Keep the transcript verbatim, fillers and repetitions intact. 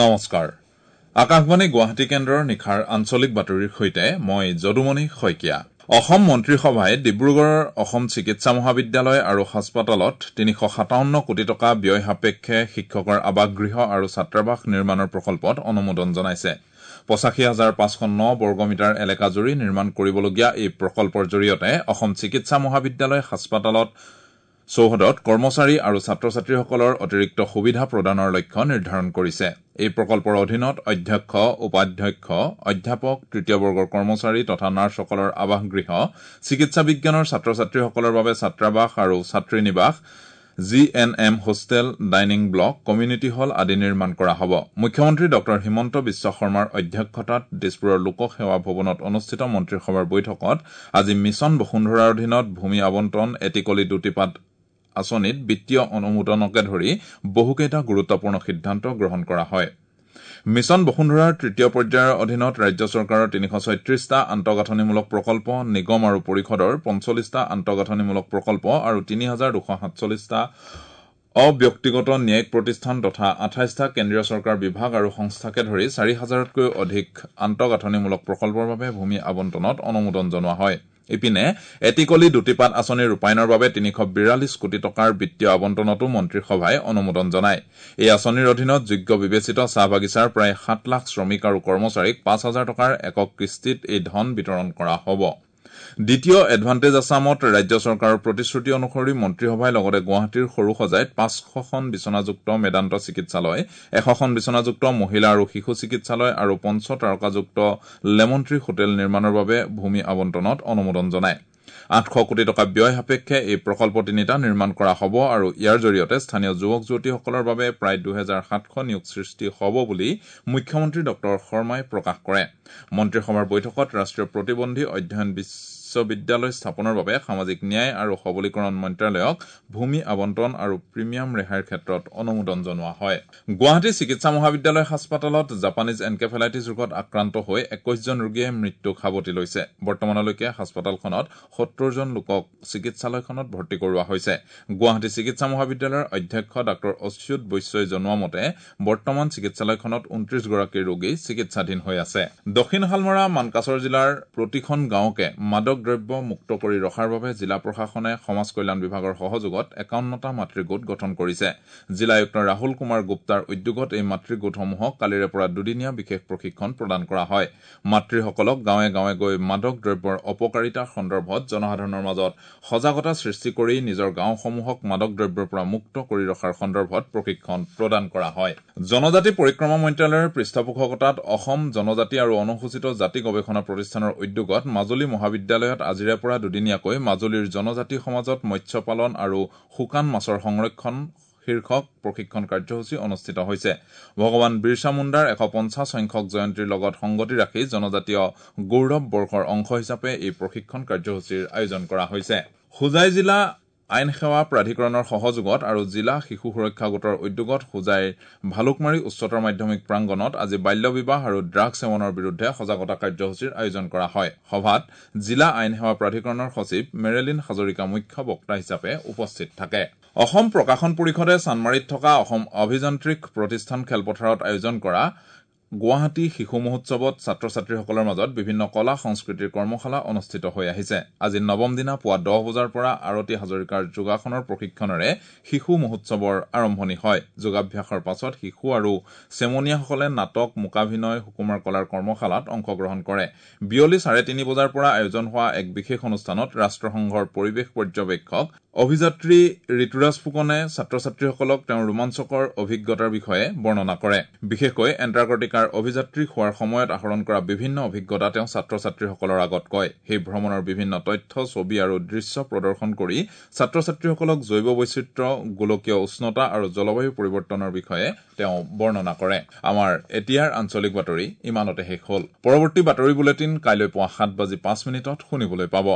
নমস্কাৰ, আকাশবাণী গুৱাহাটী কেন্দ্ৰৰ নিশাৰ আঞ্চলিক বাতৰিৰ সৈতে মই যদুমণি শইকীয়া। অসম মন্ত্ৰীসভাই ডিব্ৰুগড়ৰ অসম চিকিৎসা মহাবিদ্যালয় আৰু হাস্পতালত তিনিশ সাতাৱন্ন কোটি টকা ব্যয় সাপেক্ষে শিক্ষকৰ আৱাসগৃহ আৰু ছাত্ৰাবাস নিৰ্মাণৰ প্ৰকল্পত অনুমোদন জনাইছে। পঁচাশী হাজাৰ পাঁচশ ন বৰ্গমিটাৰ এলেকাজুৰি নিৰ্মাণ কৰিবলগীয়া এই প্ৰকল্পৰ জৰিয়তে অসম চিকিৎসা মহাবিদ্যালয় হাস্পতালত চৌহদত কৰ্মচাৰী আৰু ছাত্ৰ ছাত্ৰীসকলৰ অতিৰিক্ত সুবিধা প্ৰদানৰ লক্ষ্য নিৰ্ধাৰণ কৰিছে। এই প্ৰকল্পৰ অধীনত অধ্যক্ষ, উপাধ্যক্ষ, অধ্যাপক, তৃতীয় বৰ্গৰ কৰ্মচাৰী তথা নাৰ্ছসকলৰ আৱাসগৃহ, চিকিৎসা বিজ্ঞানৰ ছাত্ৰ ছাত্ৰীসকলৰ বাবে ছাত্ৰাবাস আৰু ছাত্ৰী নিবাস, G N M hostel, dining block, community hall আদি নিৰ্মাণ কৰা হ'ব। মুখ্যমন্ত্ৰী ডঃ হিমন্ত বিশ্ব শৰ্মাৰ অধ্যক্ষতাত দিছপুৰৰ লোকসেৱা ভৱনত অনুষ্ঠিত মন্ত্ৰীসভাৰ বৈঠকত আজি মিছন বসুন্ধৰাৰ অধীনত ভূমি আবণ্টন, এটি কলি দুটি পাত আঁচনিত বিত্তীয় অনুমোদনকে ধৰি বহুকেইটা গুৰুত্বপূৰ্ণ সিদ্ধান্ত গ্ৰহণ কৰা হয়। মিছন বসুন্ধৰাৰ তৃতীয় পৰ্যায়ৰ অধীনত ৰাজ্য চৰকাৰৰ তিনিশ ছয়ত্ৰিশটা আন্তঃগাঁথনিমূলক প্ৰকল্প, নিগম আৰু পৰিষদৰ পঞ্চল্লিছটা আন্তঃগাঁথনিমূলক প্ৰকল্প আৰু তিনি হাজাৰ দুশ সাতচল্লিছটা অব্যক্তিগত ন্যায়িক প্ৰতিষ্ঠান তথা আঠাইছটা কেন্দ্ৰীয় চৰকাৰ বিভাগ আৰু সংস্থাকে ধৰি চাৰি হাজাৰতকৈও অধিক আন্তঃগাঁথনিমূলক প্ৰকল্পৰ বাবে ভূমি আবণ্টনত অনুমোদন জনোৱা হয়। ইপিনে এটি কলি দুটি পাত আঁচনি ৰূপায়ণৰ বাবে তিনিশ বিৰাল্লিছ কোটি টকাৰ বিত্তীয় আবণ্টনতো মন্ত্ৰীসভাই অনুমোদন জনায়। এই আঁচনিৰ অধীনত যোগ্য বিবেচিত চাহ বাগিচাৰ প্ৰায় সাত লাখ শ্ৰমিক আৰু কৰ্মচাৰীক পাঁচ হাজাৰ টকাৰ একক কিস্তিত এই ধন বিতৰণ কৰা হ'ব। দ্বিতীয় এডভান্টেজ আছামত ৰাজ্য চৰকাৰৰ প্ৰতিশ্ৰুতি অনুসৰি মন্ত্ৰীসভাই লগতে গুৱাহাটীৰ সৰুসজাইত পাঁচশখন বিচনাযুক্ত মেদান্ত চিকিৎসালয়, এশখন বিচনাযুক্ত মহিলা আৰু শিশু চিকিৎসালয় আৰু পঞ্চ তাৰকাযুক্ত লেমন ট্ৰী হোটেল নিৰ্মাণৰ বাবে ভূমি আবণ্টনত অনুমোদন জনায়। আঠশ কোটি টকা ব্যয় সাপেক্ষে এই প্ৰকল্প তিনিটা নিৰ্মাণ কৰা হ'ব আৰু ইয়াৰ জৰিয়তে স্থানীয় যুৱক যুৱতীসকলৰ বাবে প্ৰায় দুহেজাৰ সাতশ নিয়োগ সৃষ্টি হ'ব বুলি মুখ্যমন্ত্ৰী ডঃ শৰ্মাই প্ৰকাশ কৰে। মন্ত্ৰীসভাৰ বৈঠকত ৰাষ্ট্ৰীয় প্ৰতিবন্ধী অধ্যয়ন বিশ্ববিদ্যালয় স্থাপনৰ বাবে সামাজিক ন্যায় আৰু সবলীকৰণ মন্ত্ৰালয়ক ভূমি আবণ্টন আৰু প্ৰিমিয়াম ৰেহাইৰ ক্ষেত্ৰত অনুমোদন জনোৱা হয়। গুৱাহাটী চিকিৎসা মহাবিদ্যালয় হাস্পতালত জাপানীজ এনকেফেলাইটিছ ৰোগত আক্ৰান্ত হৈ একৈশজন ৰোগীয়ে মৃত্যুক সাৱটি লৈছে। বৰ্তমানলৈকে হাস্পতালখনত সত্তৰজন লোকক চিকিৎসালয়খনত ভৰ্তি কৰোৱা হৈছে। গুৱাহাটী চিকিৎসা মহাবিদ্যালয়ৰ অধ্যক্ষ ডাঃ অচ্যুত বৈশ্যই জনোৱা মতে বৰ্তমান চিকিৎসালয়খনত ঊনত্ৰিশগৰাকী ৰোগী চিকিৎসাধীন হৈ আছে। দক্ষিণ শালমৰা মানকাচৰ জিলাৰ প্ৰতিখন গাঁৱকে মাদক দ্ৰব্য মুক্ত কৰি ৰখাৰ বাবে জিলা প্ৰশাসনে সমাজ কল্যাণ বিভাগৰ সহযোগত একাৱন্নটা মাতৃগোট গঠন কৰিছে। জিলা আয়ুক্ত ৰাহুল কুমাৰ গুপ্তাৰ উদ্যোগত এই মাতৃগোটসমূহক কালিৰে পৰা দুদিনীয়া বিশেষ প্ৰশিক্ষণ প্ৰদান কৰা হয়। মাতৃসকলক গাঁৱে গাঁৱে গৈ মাদক দ্ৰব্যৰ অপকাৰিতা সন্দৰ্ভত জনসাধাৰণৰ মাজত সজাগতা সৃষ্টি কৰি নিজৰ গাঁওসমূহক মাদক দ্ৰব্যৰ পৰা মুক্ত কৰি ৰখাৰ সন্দৰ্ভত প্ৰশিক্ষণ প্ৰদান কৰা হয়। জনজাতি পৰিক্ৰমা মন্ত্ৰালয়ৰ পৃষ্ঠপোষকতাত অসম জনজাতি আৰু অনুসূচিত জাতি গৱেষণা প্ৰতিষ্ঠানৰ উদ্যোগত মাজুলী মহাবিদ্যালয়ত আজিৰে পৰা দুদিনীয়াকৈ মাজুলীৰ জনজাতি সমাজত মৎস্য পালন আৰু শুকান মাছৰ সংৰক্ষণ শীৰ্ষক প্ৰশিক্ষণ কাৰ্যসূচী অনুষ্ঠিত হৈছে। ভগৱান বিৰছা মুণ্ডাৰ এশ পঞ্চাছ সংখ্যক জয়ন্তীৰ লগত সংগতি ৰাখি জনজাতীয় গৌৰৱ বৰ্ষৰ অংশ হিচাপে এই প্ৰশিক্ষণ কাৰ্যসূচীৰ আয়োজন কৰা হৈছে। হোজাই জিলা আইন সেৱা প্ৰাধিকৰণৰ সহযোগত আৰু জিলা শিশু সুৰক্ষা গোটৰ উদ্যোগত হোজাইৰ ভালুকমাৰী উচ্চতৰ মাধ্যমিক প্ৰাংগণত আজি বাল্য বিবাহ আৰু ড্ৰাগছ সেৱনৰ বিৰুদ্ধে সজাগতা কাৰ্যসূচীৰ আয়োজন কৰা হয়। সভাত জিলা আইন সেৱা প্ৰাধিকৰণৰ সচিব মেৰেলিন হাজৰিকা মুখ্য বক্তা হিচাপে উপস্থিত থাকে। অসম প্ৰকাশন পৰিষদে চানমাৰীত থকা অসম অভিযান্ত্ৰিক প্ৰতিষ্ঠান খেলপথাৰত আয়োজন কৰা গুৱাহাটী শিশু মহোৎসৱত ছাত্ৰ ছাত্ৰীসকলৰ মাজত বিভিন্ন কলা সংস্কৃতিৰ কৰ্মশালা অনুষ্ঠিত হৈ আহিছে। আজি নৱম দিনা পুৱা দহ বজাৰ পৰা আৰতী হাজৰিকাৰ যোগাসনৰ প্ৰশিক্ষণেৰে শিশু মহোৎসৱৰ আৰম্ভণি হয়। যোগাভ্যাসৰ পাছত শিশু আৰু চেমনীয়াসকলে নাটক, মূকাভিনয়, সুকুমাৰ কলাৰ কৰ্মশালাত অংশগ্ৰহণ কৰে। বিয়লি চাৰে তিনি বজাৰ পৰা আয়োজন হোৱা এক বিশেষ অনুষ্ঠানত ৰাষ্ট্ৰসংঘৰ পৰিৱেশ পৰ্যবেক্ষক অভিযাত্ৰী ঋতুৰাজ ফুকনে ছাত্ৰ ছাত্ৰীসকলক তেওঁৰ ৰোমাঞ্চকৰ অভিজ্ঞতাৰ বিষয়ে বৰ্ণনা কৰে। বিশেষকৈ এণ্টাৰ্কটিকাৰ অভিযাত্ৰী হোৱাৰ সময়ত আহৰণ কৰা বিভিন্ন অভিজ্ঞতা তেওঁ ছাত্ৰ ছাত্ৰীসকলৰ আগত কয়। সেই ভ্ৰমণৰ বিভিন্ন তথ্য, ছবি আৰু দৃশ্য প্ৰদৰ্শন কৰি ছাত্ৰ ছাত্ৰীসকলক জৈৱ বৈচিত্ৰ্য, গোলকীয় উষ্ণতা আৰু জলবায়ু পৰিৱৰ্তনৰ বিষয়ে তেওঁ বৰ্ণনা কৰে। আমাৰ এতিয়াৰ আঞ্চলিক বাতৰি ইমানতে শেষ হ'ল। পৰৱৰ্তী বাতৰি বুলেটিন কাইলৈ পুৱা সাত বাজি পাঁচ মিনিটত শুনিবলৈ পাব।